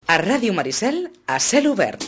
A Ràdio Maricel, a cel obert.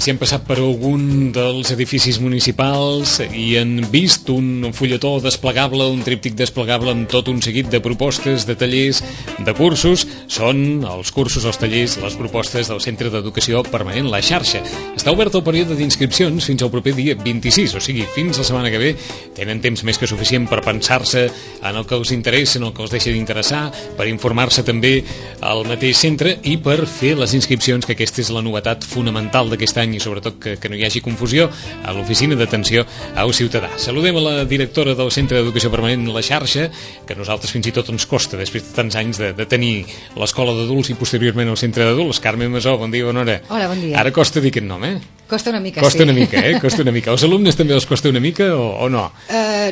Si han passat per algun dels edificis municipals i han vist un fulletó desplegable, un tríptic desplegable amb tot un seguit de propostes, de tallers, de cursos, són els cursos, els tallers, les propostes del Centre d'Educació Permanent, la xarxa. Està obert el període d'inscripcions fins al proper dia 26, o sigui, fins la setmana que ve tenen temps més que suficient per pensar-se en el que els interessa, en el que els deixa d'interessar, per informar-se també al mateix centre i per fer les inscripcions, que aquesta és la novetat fonamental d'aquest any i sobretot que no hi hagi confusió a l'oficina d'atenció al ciutadà. Saludem a la directora del Centre d'Educació Permanent, la xarxa, que a nosaltres fins i tot ens costa, després de tants anys de tenir l'escola d'adults i posteriorment el centre d'adults. Carme Masó, bon dia, bona hora. Hola, bon dia. Ara costa dir aquest nom, Costa una mica, costa una mica, Costa una mica. Els alumnes també els costa una mica o no?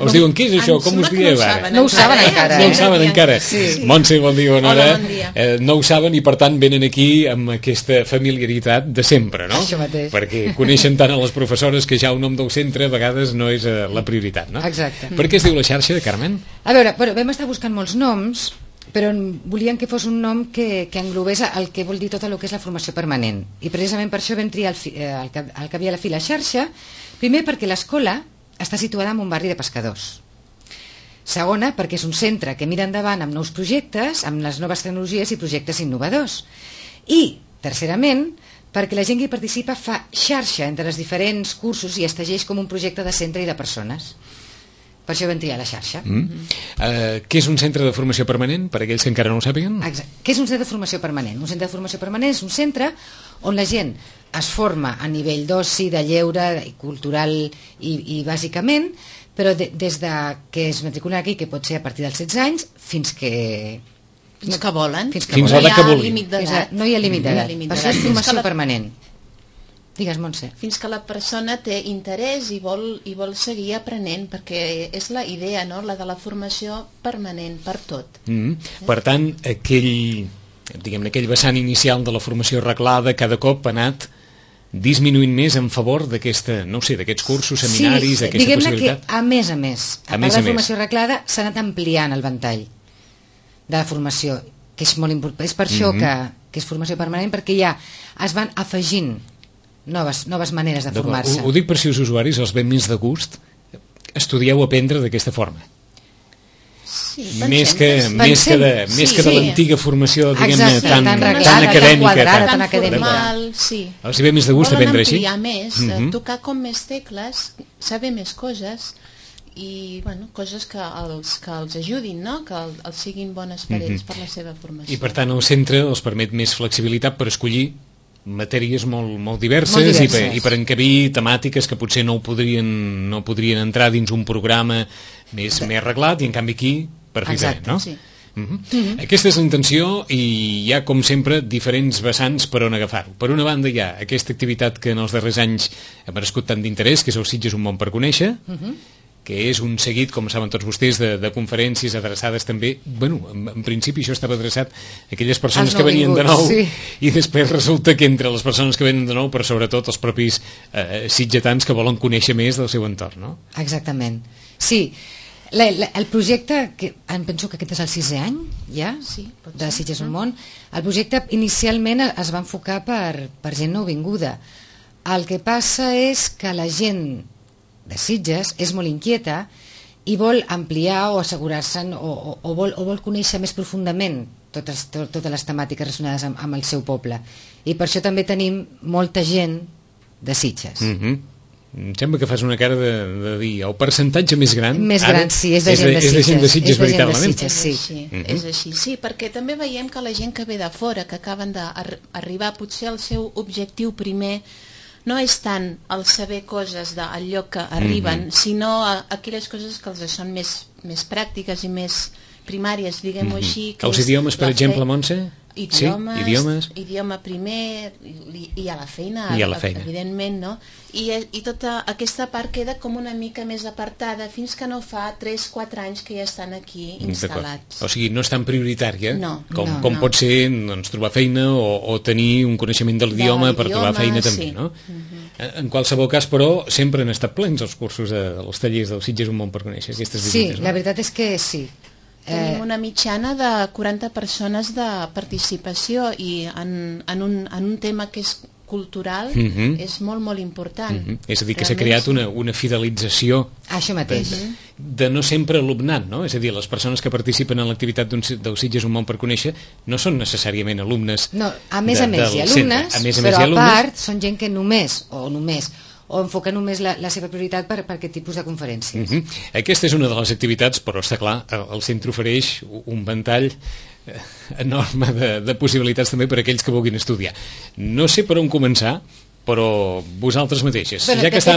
Us diuen, què és això? Com us dieu ara? No ho saben encara. No ho saben encara. Sí. Montse, bon dia, bona hora. Hola, bon dia. No ho saben i per tant venen aquí amb aquesta familiaritat de sempre, no? Això mateix. Perquè coneixen tant a les professores que ja el nom del centre a vegades no és la prioritat, no? Exacte. Per què es diu la xarxa, Carmen? A veure, vam estar buscant molts noms, però volíem que fos un nom que englobés el que vol dir tot el que és la formació permanent. I precisament per això vam triar el que havia a la fi la xarxa, primer perquè l'escola està situada en un barri de pescadors. Segona, perquè és un centre que mira endavant amb nous projectes, amb les noves tecnologies i projectes innovadors. I, tercerament, perquè la gent que hi participa fa xarxa entre els diferents cursos i es tegeix com un projecte de centre i de persones. Per això vam triar la xarxa. Què és un centre de formació permanent, per aquells que encara no ho sàpiguen? Exacte. Què és un centre de formació permanent? Un centre de formació permanent és un centre on la gent es forma a nivell d'oci, de lleure, cultural i bàsicament, però des de que es matriculen aquí, que pot ser a partir dels 16 anys, fins que volen. Fins a l'edat que vulguin. No hi ha límit d'edat. Per això és formació permanent. Digues, Montse. Fins que la persona té interès i vol seguir aprenent, perquè és la idea, no?, la de la formació permanent per tot. Per tant, aquell vessant inicial de la formació reglada cada cop ha anat disminuint més en favor d'aquesta, no sé, d'aquests cursos, seminaris, d'aquesta possibilitat? Diguem-ne que a més, a part de la formació reglada, s'ha anat ampliant el ventall de la formació, que és molt important. És per això que és formació permanent, perquè ja es van afegint noves maneres de formar-se. Ho dic per si els usuaris els ve més de gust, estudieu aprendre d'aquesta forma. Sí, més que de l'antiga formació, diguem-ne, tan acadèmica, tan formal, sí. Els ve més de gust aprendre així? Volen ampliar més, tocar com més tecles, saber més coses i, coses que els ajudin, no?, que els siguin bones per ells, per la seva formació. I per tant el centre els permet més flexibilitat per escollir matèries molt diverses i per encabir temàtiques que potser no podrien entrar dins un programa més reglat, i en canvi aquí per fer bé, no? Sí. Aquesta és la intenció i hi ha, com sempre, diferents vessants per on agafar-ho. Per una banda hi ha aquesta activitat que en els darrers anys ha merescut tant d'interès, que és el Sitges un món per conèixer, que és un seguit, com saben tots vostès, de conferències adreçades també, en principi això estava adreçat a aquelles persones que venien de nou, i després resulta que entre les persones que venen de nou, però sobretot els propis sitgetans que volen conèixer més del seu entorn, no? Exactament. Sí, el projecte, em penso que aquest és el 6è any, ja, de Sitges un món. El projecte inicialment es va enfocar per gent nouvinguda. El que passa és que la gent de Sitges és molt inquieta i vol ampliar o assegurar-se o vol conèixer més profundament totes les temàtiques relacionades amb el seu poble, i per això també tenim molta gent de Sitges. Em sembla que fas una cara de dir el percentatge més gran sí, és de gent de Sitges, veritablement. És així, sí, perquè també veiem que la gent que ve de fora, que acaben d'arribar, potser el seu objectiu primer no és tant el saber coses del lloc que arriben, sinó aquelles coses que els són més pràctiques i més primàries, diguem-ho així. Els idiomes, per exemple, Montse? idiomes. Idioma primer i a la feina, evidentment, no? I tota aquesta part queda com una mica més apartada fins que no fa 3-4 anys que ja estan aquí instal·lats. O sigui, no és tan prioritària com no. pot ser trobar feina o tenir un coneixement de l'idioma per trobar feina també, no? En qualsevol cas, però, sempre han estat plens els cursos dels tallers del Sitges Un Món per Conèixer, aquestes visites, Sí, la veritat és que sí. Tenim una mitjana de 40 persones de participació i en un tema que és cultural és molt, molt important. És a dir, que s'ha creat una fidelització Això mateix. de no sempre alumnat, no? És a dir, les persones que participen en l'activitat del Sitges Un Món per Conèixer no són necessàriament alumnes. No, a més hi ha alumnes, però a part són gent que només o enfoca només la seva prioritat per aquest tipus de conferències. Aquesta és una de les activitats, però està clar, el centre ofereix un ventall enorme de possibilitats també per a aquells que vulguin estudiar. No sé per on començar, però vosaltres mateixes. Bueno, ja que està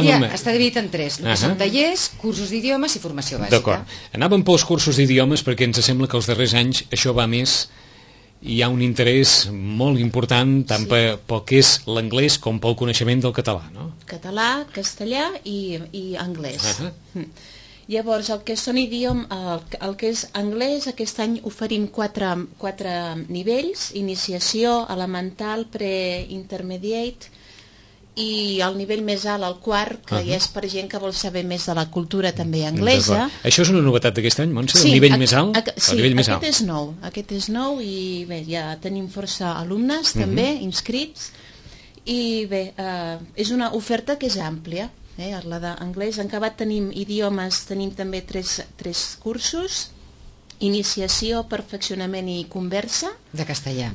dividit en 3, que són tallers, cursos d'idiomes i formació bàsica. D'acord. Anàvem pels cursos d'idiomes perquè ens sembla que els darrers anys això va més. Hi ha un interès molt important tant pel que és l'anglès com pel coneixement del català, no? Català, castellà i anglès. Llavors, el que són el que és anglès, aquest any oferim 4 nivells: iniciació, elemental, pre-intermediate, i el nivell més alt, el quart, que ja és per gent que vol saber més de la cultura també anglesa. Això és una novetat d'aquest any, Montse? El nivell més alt? Sí, aquest és nou i bé, ja tenim força alumnes també inscrits i bé, és una oferta que és àmplia. La d'anglès, en acabat tenim idiomes, tenim també 3 cursos: iniciació, perfeccionament i conversa de castellà.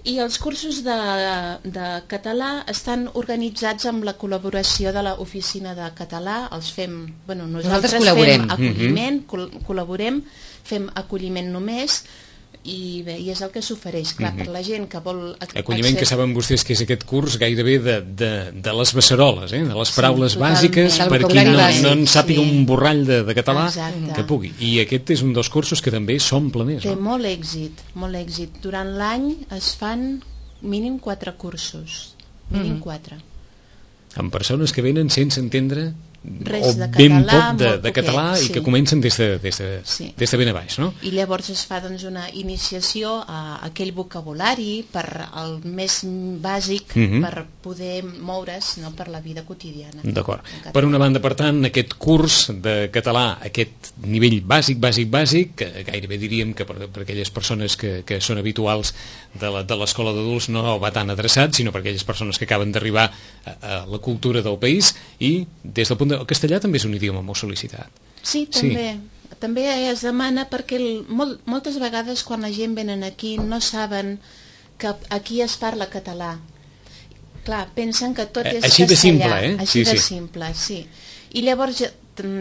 I els cursos de català estan organitzats amb la col·laboració de l'Oficina de Català. Els fem, nosaltres fem acolliment, col·laborem, fem acolliment només, i bé, i és el que s'ofereix, clar, per la gent que vol... Acolliment que saben vostès que és aquest curs gairebé de les beceroles, de les paraules bàsiques, per qui no en sàpiga un borrall de català, que pugui. I aquest és un dels cursos que també s'omple més. Té molt èxit, molt èxit. Durant l'any es fan mínim 4 cursos, mínim 4. Amb persones que venen sense entendre res de ben català, poc de català i que comencen des de ben a baix, no? I llavors es fa una iniciació a aquell vocabulari per el més bàsic per poder moure's per la vida quotidiana. D'acord. Per una banda, per tant, aquest curs de català, aquest nivell bàsic, que gairebé diríem que per aquelles persones que són habituals de l'escola d'adults no va tan adreçat, sinó per aquelles persones que acaben d'arribar a la cultura del país, i des del punt el castellà també és un idioma molt sol·licitat. Sí, també. També es demana perquè moltes vegades quan la gent venen aquí no saben que aquí es parla català. Clar, pensen que tot és així castellà. De simple, Així de simple, sí. I llavors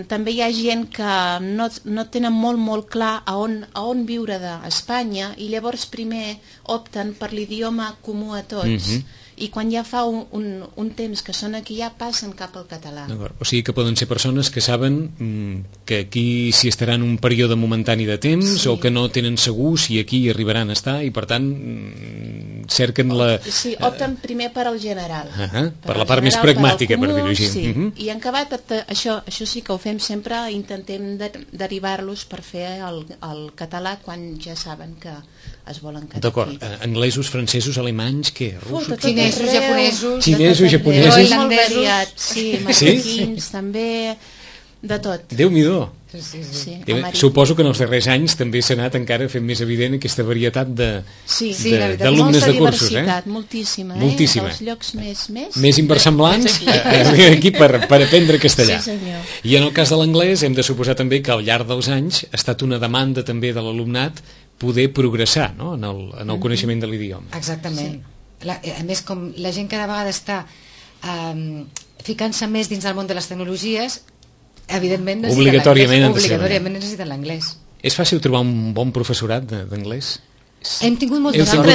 també hi ha gent que no tenen molt clar a on viure d'Espanya, i llavors primer opten per l'idioma comú a tots. I quan ja fa un temps que són aquí ja passen cap al català. O sigui que poden ser persones que saben que aquí s'hi estaran un període momentani de temps, o que no tenen segur si aquí hi arribaran a estar, i per tant cerquen la... Sí, opten primer per al general. Per la part més pragmàtica, per dir-ho així. I en acabat, això sí que ho fem sempre, intentem derivar-los per fer el català quan ja saben que es volen quedar aquí. D'acord. Anglesos, francesos, alemanys, què? Russos? Xinesos, japonesos... Xinesos, japonesos... Molt variat, sí, marroquins, també, de tot. Déu-n'hi-do. Sí. Suposo que en els darrers anys també s'ha anat encara fent més evident aquesta varietat d'alumnes de cursos. Moltíssima. Els llocs més inversemblants aquí per aprendre castellà. Sí, senyor. I en el cas de l'anglès hem de suposar també que al llarg dels anys ha estat una demanda també de l'alumnat poder progressar, no?, en el coneixement de l'idioma. Exactament. A més, com la gent cada vegada està ficant-se més dins del món de les tecnologies, evidentment necessiten l'anglès. És fàcil trobar un bon professorat d'anglès? Hem tingut molta sort.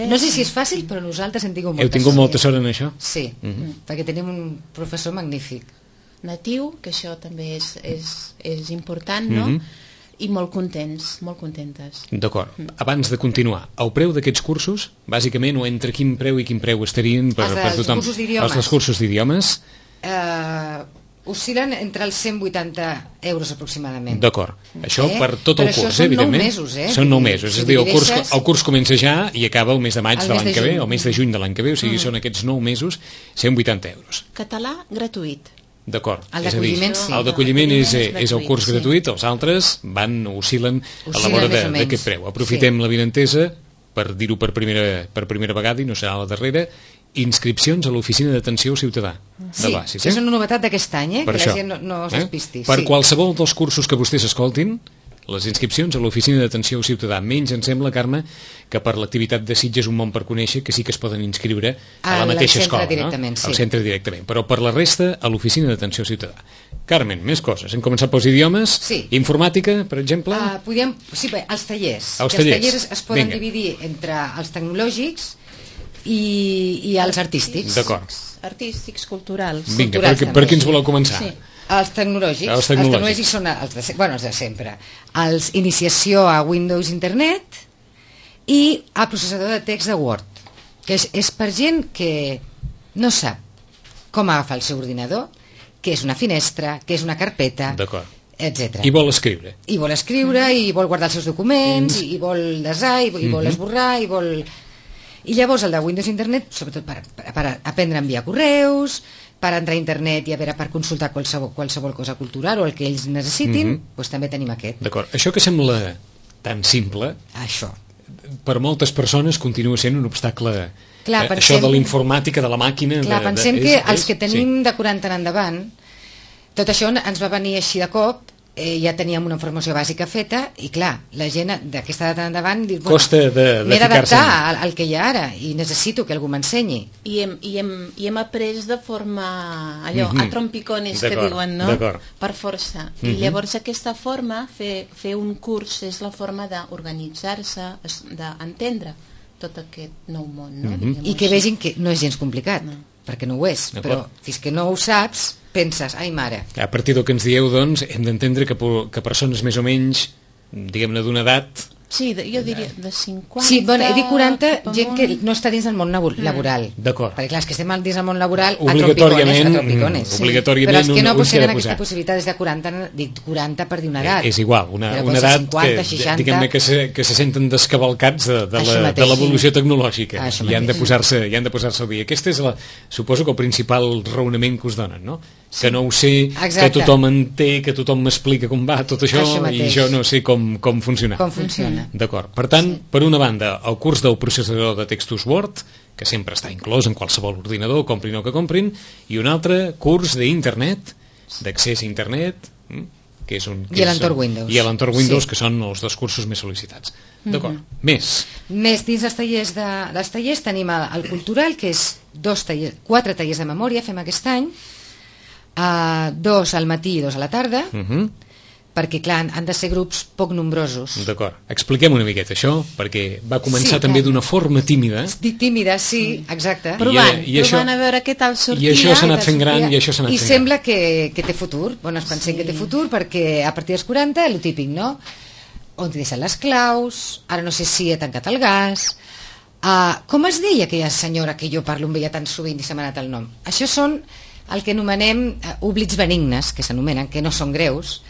No sé si és fàcil, però nosaltres hem tingut molta sort. Heu tingut molta sort en això? Sí, perquè tenim un professor magnífic. Natiu, que això també és important, no? i molt contents, molt contentes. D'acord. Abans de continuar, el preu d'aquests cursos, bàsicament, o entre quin preu i quin preu estarien per tothom? Cursos d'idiomes. Els dels cursos d'idiomes? Oscil·len entre els 180 euros aproximadament. D'acord. Això per tot el curs, evidentment. Són 9 mesos, Són 9 mesos. És a dir, el curs comença ja i acaba el mes de maig de l'any que ve, o el mes de juny de l'any que ve, o sigui, són aquests 9 mesos, 180 euros. Català gratuït. D'acord. El d'acolliment, sí. El d'acolliment és el curs gratuït, els altres oscil·len a la vora d'aquest preu. Aprofitem l'avinentesa per dir-ho per primera vegada, i no serà la darrera, inscripcions a l'Oficina d'Atenció al Ciutadà de l'Oasi. Sí, és una novetat d'aquest any, que la gent no es despisti. Per qualsevol dels cursos que vostès escoltin, les inscripcions a l'Oficina d'Atenció al Ciutadà. Menys em sembla, Carme, que per l'activitat de Sitges Un món per conèixer, que sí que es poden inscriure a la mateixa escola, directament, al centre directament, però per la resta a l'Oficina d'Atenció al Ciutadà. Carmen, més coses. Hem començat pels idiomes. Sí. Informàtica, per exemple? Sí, els tallers. Els tallers es poden dividir entre els tecnològics i els artístics. D'acord. Artístics, culturals. Vinga, per qui ens voleu començar? Sí. Els tecnològics són els de sempre. Els iniciació a Windows Internet i a processador de text de Word, que és per gent que no sap com agafar el seu ordinador, què és una finestra, què és una carpeta, etc. I vol escriure. I vol guardar els seus documents, i vol desar, i vol esborrar, I llavors el de Windows Internet, sobretot per aprendre a enviar correus, per entrar a internet i per consultar qualsevol cosa cultural o el que ells necessitin, doncs també tenim aquest. D'acord. Això que sembla tan simple, això per moltes persones continua sent un obstacle. Clar, això de l'informàtica, de la màquina... Clar, pensem que els que tenim de 40 en endavant, tot això ens va venir així de cop, ja teníem una formació bàsica feta i clar, la gent d'aquesta edat endavant costa de m'he d'adaptar al que hi ha ara i necessito que algú m'ensenyi i hem après de forma allò, a trompicones que diuen, no? Per força i llavors aquesta forma, fer un curs és la forma d'organitzar-se, d'entendre tot aquest nou món, no? I que vegin que no és gens complicat, perquè no ho és, però fins que no ho saps penses, ai mare. A partir del que ens dieu, doncs, hem d'entendre que persones més o menys, diguem-ne, d'una edat... Sí, jo diria de 50... Sí, bueno, he dit 40, gent que no està dins del món laboral. D'acord. Perquè clar, els que estem dins del món laboral obligatòriament, però els que no tenen aquesta possibilitat des de 40, dic 40 per dir una edat. És igual, una edat 50, 60... diguem-ne que se senten descavalcats de l'evolució tecnològica i han de posar-se al dia. Aquest és, suposo que el principal raonament que us donen, no? Que no ho sé, que tothom en té, que tothom m'explica com va tot això i jo no sé com funciona. Com funciona. D'acord. Per tant, per una banda, el curs del processador de textos Word, que sempre està inclòs en qualsevol ordinador, comprin o que comprin, i un altre curs d'internet, d'accés a internet, que és un... I a l'entorn Windows. I a l'entorn Windows, que són els dos cursos més sol·licitats. D'acord. Més dins dels tallers tenim el cultural, que és 4 tallers de memòria, fem aquest any, 2 al matí i 2 a la tarda, perquè clar, han de ser grups poc nombrosos. D'acord, expliquem una miqueta això, perquè va començar també d'una forma tímida. Tímida, sí, exacte. Provant a veure què tal sortia. I això s'ha anat fent gran, i sembla que té futur. Bueno, es pensem que té futur, perquè a partir dels 40, el típic, no? On t'hi deixen les claus, ara no sé si he tancat el gas... com es deia aquella senyora que jo parlo amb ella tan sovint i se m'ha anat el nom? Això són el que anomenem oblits benignes, que s'anomenen, que no són greus,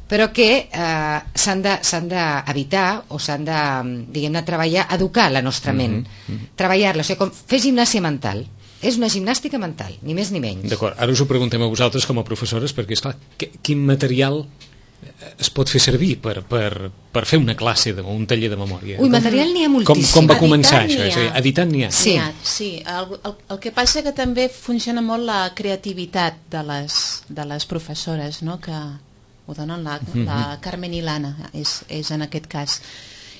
però que s'han d'evitar o s'han de, diguem-ne, treballar, educar la nostra ment, treballar-la, o sigui, com fer gimnàsia mental. És una gimnàstica mental, ni més ni menys. D'acord, ara us ho preguntem a vosaltres com a professores, perquè, esclar, quin material es pot fer servir per fer una classe o un taller de memòria? Ui, material n'hi ha moltíssim. Com va començar això? És a dir, editant n'hi ha? Sí. El que passa que també funciona molt la creativitat de les professores, no?, que ho donen la Carmen i l'Anna, és en aquest cas.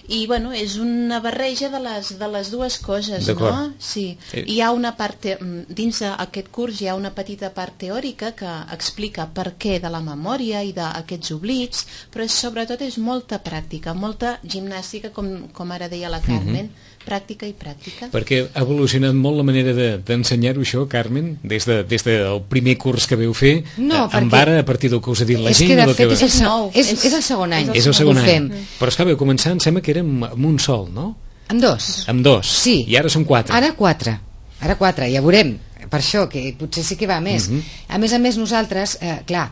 I, bueno, és una barreja de les dues coses, no? Sí. Hi ha una part, dins d'aquest curs hi ha una petita part teòrica que explica per què de la memòria i d'aquests oblits, però sobretot és molta pràctica, molta gimnàstica, com ara deia la Carmen, pràctica i pràctica. Perquè ha evolucionat molt la manera d'ensenyar-ho això, Carmen, des del primer curs que veu fer, amb ara, a partir del que us ha dit la gent. És que de fet és el segon any. És el segon any. Però és que veu començar, em sembla que era amb un sol, no? Amb dos. Amb dos. Sí. I ara són 4. Ara 4, ja veurem. Per això, que potser sí que va més. A més, nosaltres, clar,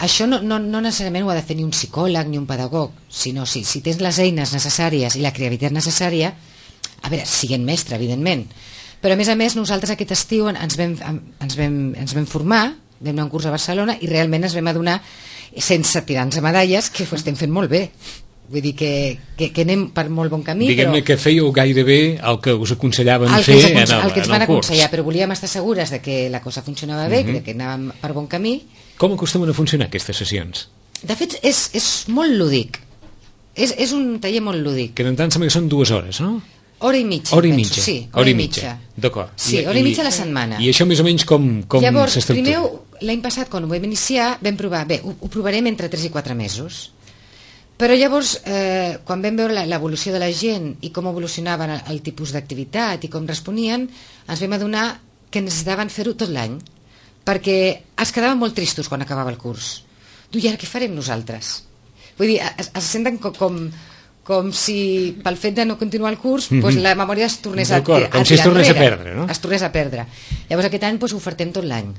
això no necessàriament ho ha de fer ni un psicòleg ni un pedagog, sinó si tens les eines necessàries i la creativitat necessària, a veure, siguent mestre, evidentment, però a més nosaltres aquest estiu ens vam formar, vam anar a un curs a Barcelona i realment ens vam adonar, sense tirar-nos medalles, que ho estem fent molt bé. Vull dir que anem per molt bon camí. Diguem-ne que fèieu gairebé el que us aconsellaven fer en el curs. El que ens van aconsellar, però volíem estar segures de que la cosa funcionava bé, que anàvem per bon camí. Com acostumen a funcionar aquestes sessions? De fet, és molt lúdic. És un taller molt lúdic. Que en tant sembla que són 2 hores, no? Hora i mitja. Sí, hora i mitja. D'acord. Sí, hora i mitja a la setmana. I això més o menys com llavors, s'estructura? Primer, l'any passat, quan ho vam iniciar, vam provar, ho provarem entre 3 i 4 mesos. Però llavors, quan vam veure l'evolució de la gent i com evolucionaven el tipus d'activitat i com responien, ens vam adonar que necessitaven fer-ho tot l'any, perquè es quedaven molt tristos quan acabava el curs. I ara què farem nosaltres? Vull dir, es senten com si pel fet de no continuar el curs la memòria es tornés a tirar enrere. Com si es tornés a perdre, no? Es tornés a perdre. Llavors aquest any ho ofertem tot l'any.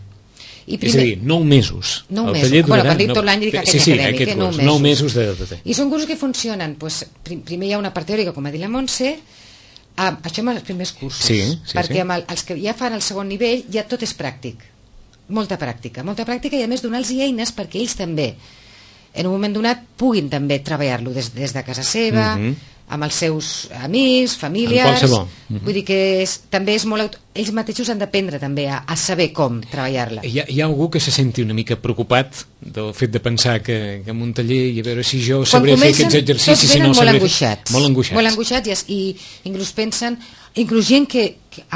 És a dir, 9 mesos. 9 mesos. Bueno, quan dic tot l'any dic aquest acadèmic, 9 mesos de... I són cursos que funcionen. Primer hi ha una part teòrica, com ha dit la Montse, això amb els primers cursos. Perquè amb els que ja fan el segon nivell ja tot és pràctic. Molta pràctica, i a més donar-los eines perquè ells també en un moment donat puguin també treballar-lo des de casa seva, amb els seus amics, familiars. Vull dir que també és molt... Ells mateixos han d'aprendre també a saber com treballar-la. Hi ha algú que se senti una mica preocupat del fet de pensar que en un taller i a veure si jo sabré fer aquests exercicis, si no sabré fer... Molt angoixats i inclús pensen, inclús gent que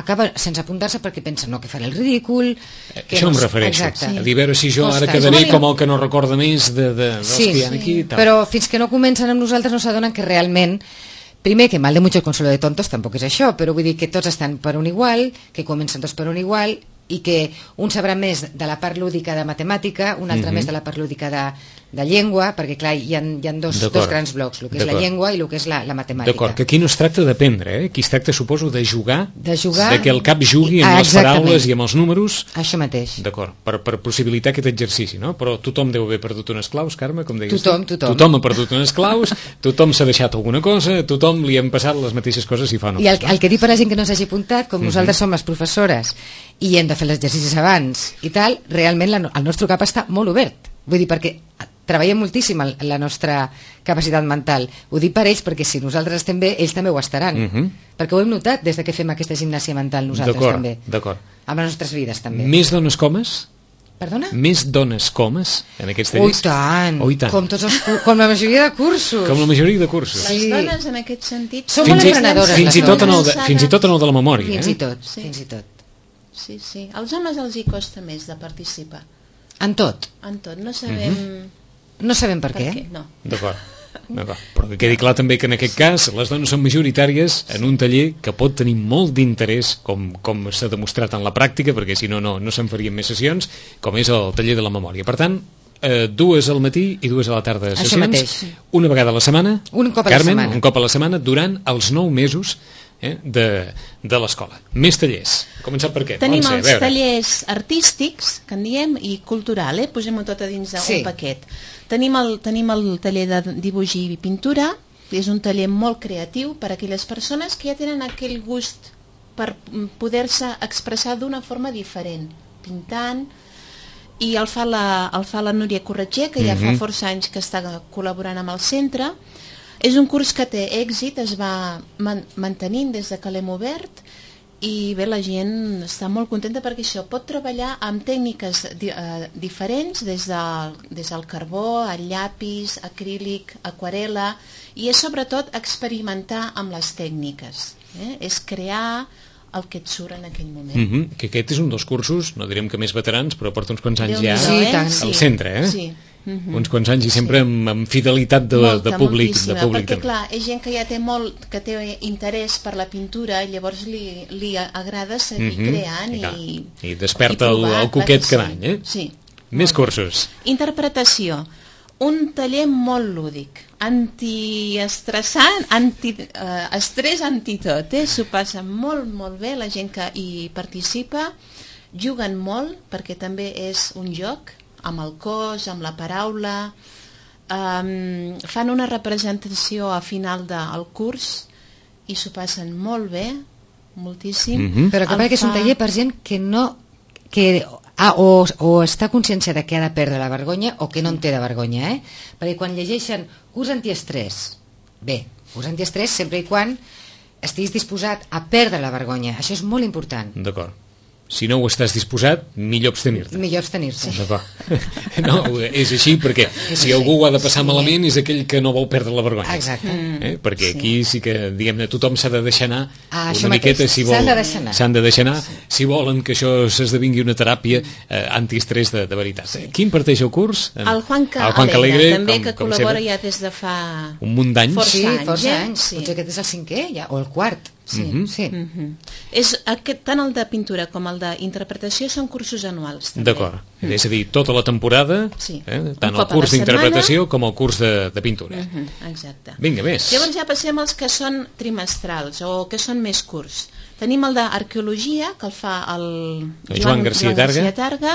acaba sense apuntar-se perquè pensa que faré el ridícul. Això em refereixo. A dir, a veure si jo ara quedaré com el que no recorda més dels que hi ha aquí. Però fins que no comencen amb nosaltres no s'adonen que realment, primer, que mal de mucho consuelo de tontos tampoc és això, però vull dir que tots estan per un igual, que comencen tots per un igual i que un sabrà més de la part lúdica de matemàtica, un altre més de la part lúdica de llengua, perquè clar, hi ha dos grans blocs, el que és la llengua i el que és la matemàtica. D'acord, que aquí no es tracta d'aprendre, aquí es tracta, suposo, de jugar, de que el cap jugui amb les paraules i amb els números. Això mateix. D'acord, per possibilitar aquest exercici, no? Però tothom deu haver perdut unes claus, Carme, com deies. Tothom ha perdut unes claus, tothom s'ha deixat alguna cosa, tothom li han passat les mateixes coses i fa no. I el que dic per la gent que no s'hagi apuntat, com nosaltres som les professores i hem de fer els exercicis abans i tal, realment el nostre cap està molt obert. Vull dir, perquè treballem moltíssim la nostra capacitat mental. Ho dic per ells perquè si nosaltres estem bé, ells també ho estaran. Perquè ho hem notat des que fem aquesta gimnàsia mental nosaltres també. D'acord. Amb les nostres vides també. Més dones comes? Perdona? Més dones comes en aquests tallers? Oh, i tant. Com la majoria de cursos. Com la majoria de cursos. Les dones en aquest sentit són molt emprenedores. Fins i tot en el de la memòria. Fins i tot. Sí. Als homes els hi costa més de participar. En tot. No sabem... No sabem per què. No. D'acord. Però que quedi clar també que en aquest cas les dones són majoritàries en un taller que pot tenir molt d'interès, com s'ha demostrat en la pràctica, perquè si no se'n farien més sessions, com és el taller de la memòria. Per tant, 2 al matí i 2 a la tarda de sessions, una vegada a la setmana, un cop a la setmana durant els 9 mesos de l'escola. Més tallers. Començar per què? Tenim els tallers artístics, que en diem, i cultural, posem-ho tot a dins d'un paquet. Tenim el taller de dibuix i pintura, que és un taller molt creatiu per a aquelles persones que ja tenen aquell gust per poder-se expressar d'una forma diferent, pintant, i el fa la Núria Corretger, que ja fa força anys que està col·laborant amb el centre. És un curs que té èxit, es va mantenint des que l'hem obert i bé, la gent està molt contenta perquè això pot treballar amb tècniques diferents, des del carbó, el llapis, acrílic, aquarela, i és sobretot experimentar amb les tècniques. És crear el que et surt en aquell moment. Que aquest és un dels cursos, no direm que més veterans, però porta uns quants anys ja al centre. Sí. uns quants anys i sempre amb fidelitat de públic. Perquè clar, és gent que ja té interès per la pintura i llavors li agrada seguir creant i desperta el coquet cada any, Sí. Més cursos. Interpretació. Un taller molt lúdic, antiestressant, estrès antitot, s'ho passa molt, molt bé, la gent que hi participa, juguen molt, perquè també és un joc, amb el cos, amb la paraula, fan una representació a final del curs i s'ho passen molt bé, moltíssim. Però que és un taller per gent que no... o està conscienciada que ha de perdre la vergonya o que no en té de vergonya, perquè quan llegeixen curs antiestrès, bé, curs antiestrès sempre i quan estiguis disposat a perdre la vergonya, això és molt important. D'acord. Si no ho estàs disposat, millor abstenir-te. Millor abstenir-se. D'acord. No, és així perquè si algú ho ha de passar malament és aquell que no vol perdre la vergonya. Exacte. Perquè aquí sí que, diguem-ne, tothom s'ha de deixar anar una miqueta, si vol. S'han de deixar anar si volen que això s'esdevingui una teràpia antiestrès de veritat. Qui imparteix el curs? El Juan Calegre, també, que col·labora ja des de fa... un munt d'anys. Força anys. Potser aquest és el 5è ja, o el 4. És tant el de pintura com el d'interpretació són cursos anuals també. D'acord, és a dir, tota la temporada, tant el curs d'interpretació com el curs de pintura. Exacte. Vinga, més. Llavors ja passem als que són trimestrals o que són més curts. Tenim el d'arqueologia, que el fa el Joan García Targa,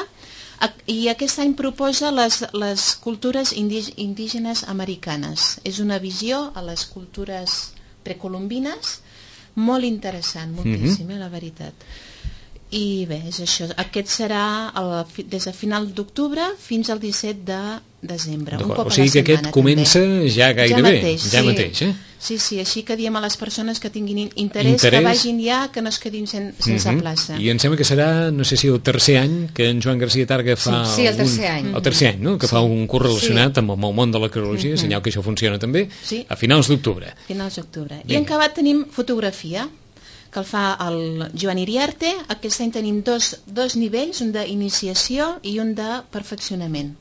i aquest any proposa les cultures indígenes americanes. És una visió a les cultures precolombines molt interessant, moltíssim, la veritat. I bé, és això. Aquest serà des de final d'octubre fins al 17 de desembre. Un cop o sigui que aquest comença ja gairebé. Ja mateix. Sí, així que diem a les persones que tinguin interès que vagin ja, que no es quedin sense plaça. I em sembla que serà, no sé si el tercer any que en Joan García Targa fa... Sí, el tercer any. El tercer any, no? Que fa un curs relacionat amb el món de l'arqueologia, senyal que això funciona també, a finals d'octubre. Finals d'octubre. I en acabat tenim fotografia, que el fa el Joan Iriarte. Aquest any tenim dos nivells, un d'iniciació i un de perfeccionament.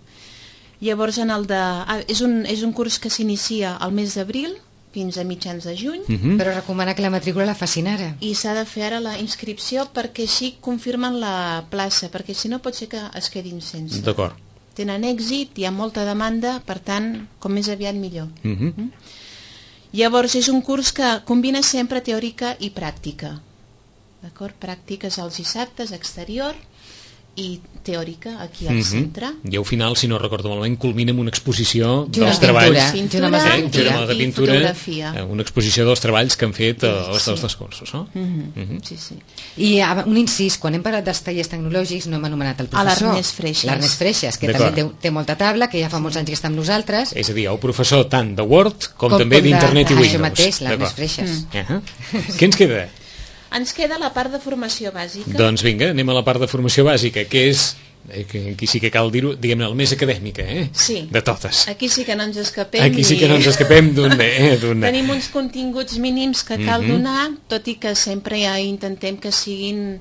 Llavors és un curs que s'inicia al mes d'abril fins a mitjans de juny. Però recomana que la matrícula la facin ara. I s'ha de fer ara la inscripció perquè així confirmen la plaça, perquè si no pot ser que es quedin sense. D'acord. Tenen èxit, hi ha molta demanda, per tant, com més aviat millor. Llavors és un curs que combina sempre teòrica i pràctica. D'acord? Pràctiques els dissabtes, exterior, i teòrica aquí al centre. I al final, si no recordo malament, culmina amb una exposició dels treballs. Pintura de pintura, fotografia. Una exposició dels treballs que han fet els dos cursos, no? Sí. I un incís, quan hem parlat dels tallers tecnològics no hem anomenat el professor. L'Ernest Freixas, que també té molta tabla, que ja fa molts anys que està amb nosaltres. És a dir, el professor tant de Word com també d'Internet i Windows. Això mateix, l'Ernest Freixas. Què ens queda? Ens queda la part de formació bàsica. Doncs vinga, anem a la part de formació bàsica, que és, aquí sí que cal dir-ho, diguem-ne, la més acadèmica, Sí. De totes. Aquí sí que no ens escapem. Aquí sí que no ens escapem d'un... Tenim uns continguts mínims que cal donar, tot i que sempre ja intentem que siguin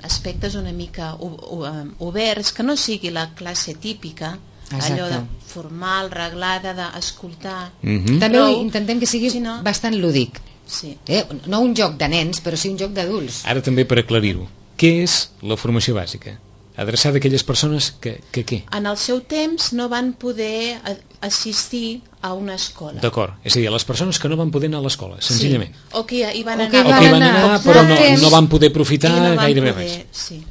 aspectes una mica oberts, que no sigui la classe típica, allò de formal, reglada, d'escoltar. També intentem que sigui bastant lúdic. Sí. No un joc de nens, però sí un joc d'adults. Ara també per aclarir-ho, què és la formació bàsica? Adreçada a aquelles persones que què? En el seu temps no van poder assistir a una escola. D'acord, és a dir, a les persones que no van poder anar a l'escola, senzillament. O que hi van anar, però no van poder aprofitar gairebé res.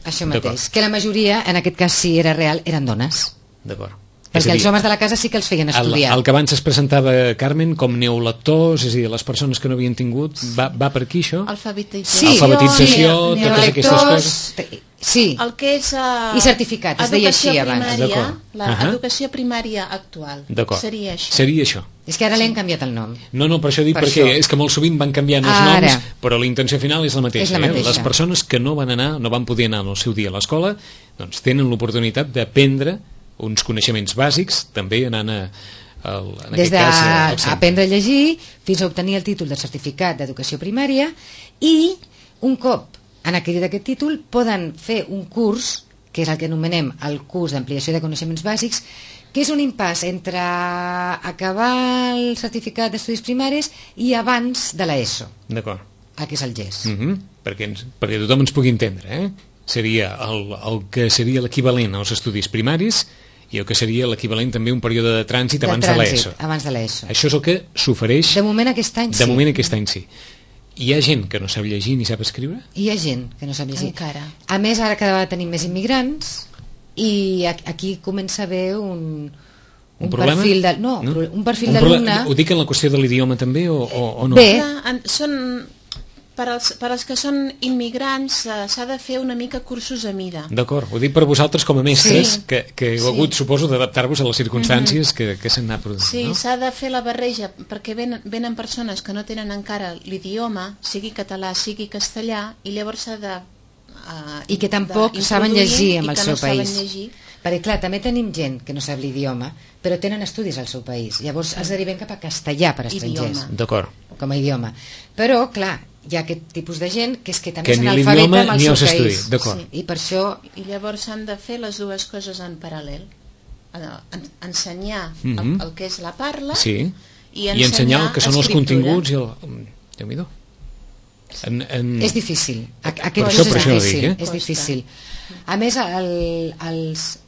Això mateix, que la majoria, en aquest cas si era real, eren dones. D'acord. Perquè els homes de la casa sí que els feien estudiar. El que abans es presentava, Carmen, com neolectors, és a dir, les persones que no havien tingut, va per aquí això? Alfabetització, totes aquestes coses. Sí. El que és i certificat, es deia així abans. L'educació primària actual. Seria això. Seria això. És que ara l'hem canviat el nom. No, per això dic perquè és que molt sovint van canviant els noms, però la intenció final és la mateixa. Les persones que no van poder anar en el seu dia a l'escola, doncs tenen l'oportunitat d'aprendre uns coneixements bàsics, també anant des d'aprendre a llegir fins a obtenir el títol de certificat d'educació primària, i un cop han adquirit aquest títol poden fer un curs que és el que anomenem el curs d'ampliació de coneixements bàsics, que és un impàs entre acabar el certificat d'estudis primaris i abans de l'ESO, D'acord. el que és el GES. Perquè tothom ens pugui entendre, seria el que seria l'equivalent als estudis primaris i el que seria l'equivalent també un període de trànsit abans de l'ESO. Abans de l'ESO. Això és el que s'ofereix De moment aquest any sí. de moment aquest any sí. Hi ha gent que no sap llegir ni sap escriure? Hi ha gent que no sap llegir. Encara. A més, ara cada vegada tenim més immigrants i aquí comença a haver un problema? perfil de, no? Un perfil d'alumne. Ho dic en la qüestió de l'idioma també o no? Bé. Per als que són immigrants s'ha de fer una mica cursos a mida. D'acord, ho dic per vosaltres com a mestres, Sí. que heu hagut, suposo, d'adaptar-vos a les circumstàncies que s'han anat produint. Sí, no? s'ha de fer la barreja, perquè venen persones que no tenen encara l'idioma, sigui català, sigui castellà, i llavors s'ha de... I que tampoc saben llegir en el seu país. Llegir. Perquè clar, també tenim gent que no sap l'idioma, però tenen estudis al seu país. Llavors els derivem cap a castellà per estrangers. Idioma. D'acord. Com a idioma. Però, clar, hi ha aquest tipus de gent que és que també Que és ni analfabeta l'idioma amb el ni seu els país. estudis, d'acord. I per això... I llavors s'han de fer les dues coses en paral·lel. Ensenyar el que és la parla Sí. i I ensenyar el que són els escriptura. continguts i el... Déu-n'hi-do. És difícil. Aquest Per procés això ho és dic, difícil. eh? És difícil. A més,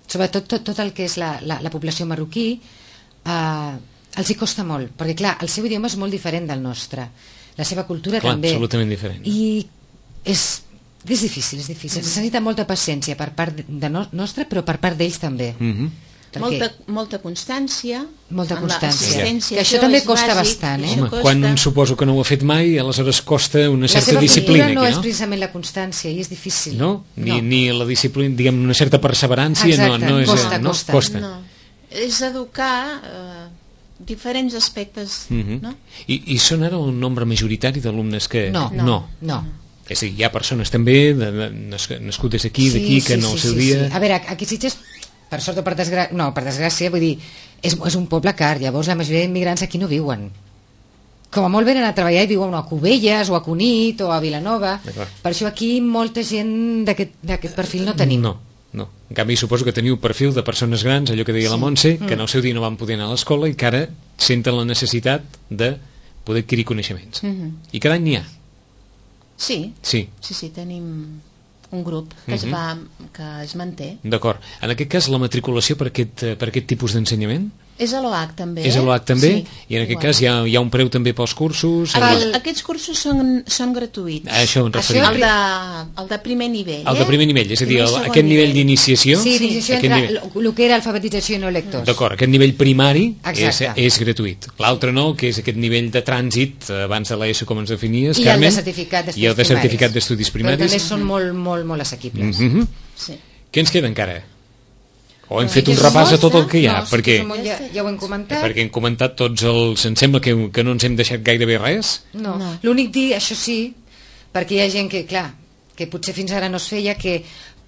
sobretot tot el que és la població marroquí els hi costa molt, perquè clar, el seu idioma és molt diferent del nostre, la seva cultura Clar, també. absolutament diferent. I és difícil, és difícil. Se necessita molta paciència per part nostra, però per part d'ells també. Molta constància, Molta amb constància. l'assistència, Que això això també és costa bàsic, bastant, això Home, costa. quan suposo que no ho ha fet mai, aleshores costa una La certa seva disciplina cultura no aquí, és no? precisament la constància i és difícil. No? Ni la disciplina, diguem, una certa perseverància. Exacte, no és, costa. No. És educar diferents aspectes, no? I són ara un nombre majoritari d'alumnes que... No. És a dir, hi ha persones també nascudes aquí, d'aquí, que en el seu dia... A veure, aquí Sitges, per sort o per desgràcia, no, per desgràcia, vull dir, és un poble car, llavors la majoria d'immigrants aquí no viuen. Com a molt venen a treballar i viuen a Cubelles o a Cunit o a Vilanova. Per això aquí molta gent d'aquest perfil no tenim. No. En canvi, suposo que teniu perfil de persones grans, allò que deia la Montse, que en el seu dia no van poder anar a l'escola i que ara senten la necessitat de poder adquirir coneixements. I cada any n'hi ha. Sí, tenim un grup que es manté. D'acord. En aquest cas, la matriculació per aquest tipus d'ensenyament? És a l'OH també. És a l'OH també? Sí, I en aquest cas hi ha un preu també pels cursos? Aquests cursos són gratuïts. A això em referia. El de primer nivell. El de primer nivell, és a dir, aquest nivell d'iniciació... Sí, d'iniciació entre el que era alfabetització i no lectors. D'acord, aquest nivell primari és gratuït. L'altre no, que és aquest nivell de trànsit abans de l'ESO, com ens definies, Carmen. I el de certificat d'estudis primaris. Però també són molt assequibles. Què ens queda encara? O hem fet un repàs a tot el que hi ha? Perquè ja ho hem comentat. Perquè hem comentat tots els... Em sembla que no ens hem deixat gairebé res. No. L'únic dir, això sí, perquè hi ha gent que, clar, que potser fins ara no es feia, que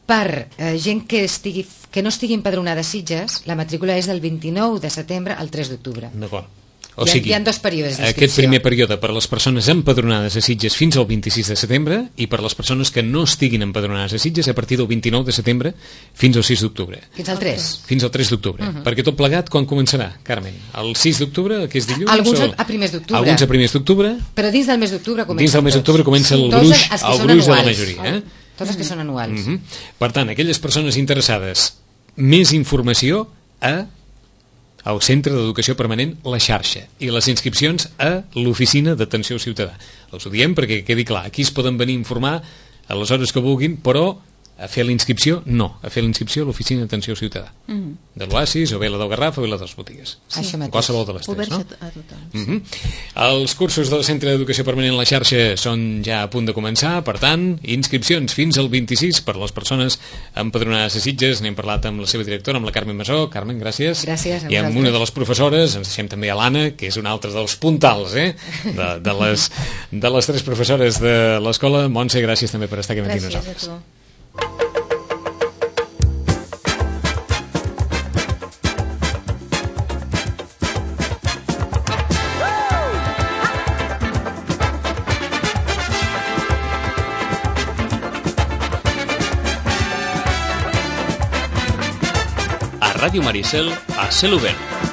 per gent que no estigui empadronada a Sitges, la matrícula és del 29 de setembre al 3 d'octubre. D'acord. O sigui, hi ha 2 períodes d'inscripció. Aquest primer període per les persones empadronades a Sitges fins al 26 de setembre i per les persones que no estiguin empadronades a Sitges a partir del 29 de setembre fins al 6 d'octubre. Fins al 3. Fins al 3 d'octubre. Perquè tot plegat, quan començarà, Carmen? El 6 d'octubre, que és dilluns? Alguns a primers d'octubre. Alguns a primers d'octubre. Però dins del mes d'octubre comença. Dins del mes d'octubre comença el gruix de la majoria. Tots els que són anuals. Per tant, aquelles persones interessades, més informació al Centre d'Educació Permanent La Xarxa i les inscripcions a l'Oficina d'Atenció Ciutadà. Els ho diem perquè quedi clar, aquí es poden venir a informar a les hores que vulguin, però a fer la inscripció, no, a fer la inscripció a l'Oficina d'Atenció Ciutadà de l'Oasis o bé la del Garraf o bé la de les botigues, qualsevol de les tres, no? A tothom. Els cursos del Centre d'Educació Permanent La Xarxa són ja a punt de començar, per tant, inscripcions fins al 26 per les persones empadronades a Sitges. N'hem parlat amb la seva directora, amb la Carmen Masó. Carmen, gràcies. Gràcies a I amb una de les professores, ens deixem també a l'Anna, que és una altra dels puntals de les tres professores de l'escola. Montse, gràcies també per estar aquí amb nosaltres. Gràcies a tu. Ràdio Maricel a cel obert.